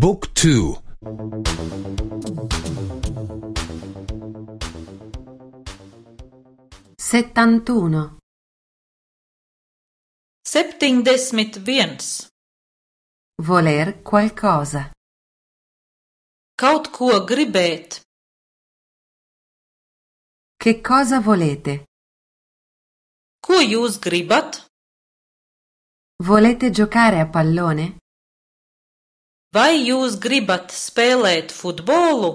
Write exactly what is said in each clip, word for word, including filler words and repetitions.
บุ๊กทูsettantuno septiņdesmit viens. voler qualcosa Kaut ko gribēt. che cosa volete? Ko jūs gribat? Volete giocare a pallone? Vai jūs gribat spēlēt futbolu?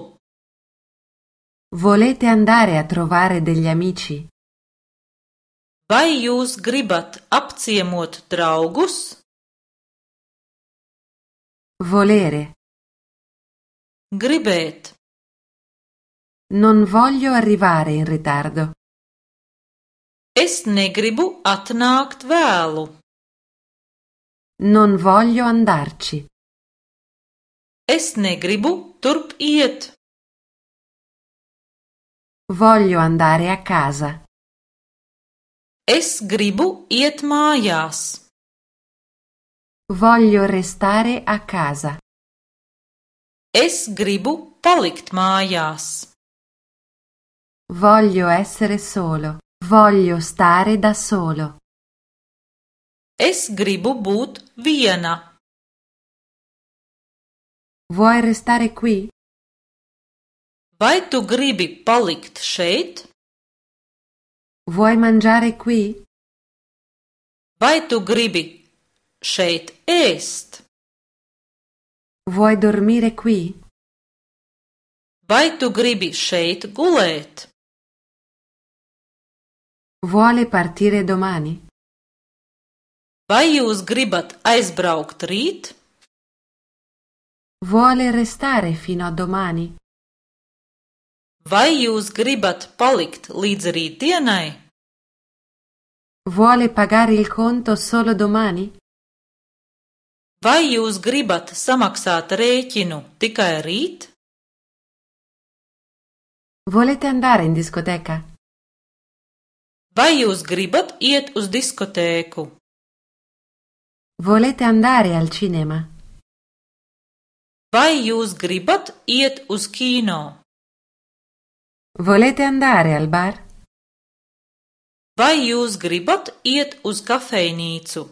Volete andare a trovare degli amici? Vai jūs gribat apciemot draugus? Volere. Gribēt. Non voglio arrivare in ritardo. Es negribu atnākt vēlu. Non voglio andarci. Es negribu turp iet. Voglio andare a casa. Es gribu iet mājās. Voglio restare a casa. Es gribu palikt mājās. Voglio essere solo. Voglio stare da solo. Es gribu būt viena. Vuoi restare qui? Vai tu gribi palikt šeit? Vuoi mangiare qui? Vai tu gribi šeit ēst? Vuoi dormire qui? Vai tu gribi šeit gulēt? Vuole partire domani? Vai jūs gribat aizbraukt rīt? Vuole restare fino a domani? Vai jūs gribat palikt līdz rītdienai? Vuole pagare il conto solo domani? Vai jūs gribat samaksāt rēķinu tikai rīt? Volete andare in discoteca? Vai jūs gribat iet uz diskotēku? Volete andare al cinema? Vai jūs gribat iet uz kino? Volete andare al bar? Vai jūs gribat iet uz kafejnīcu?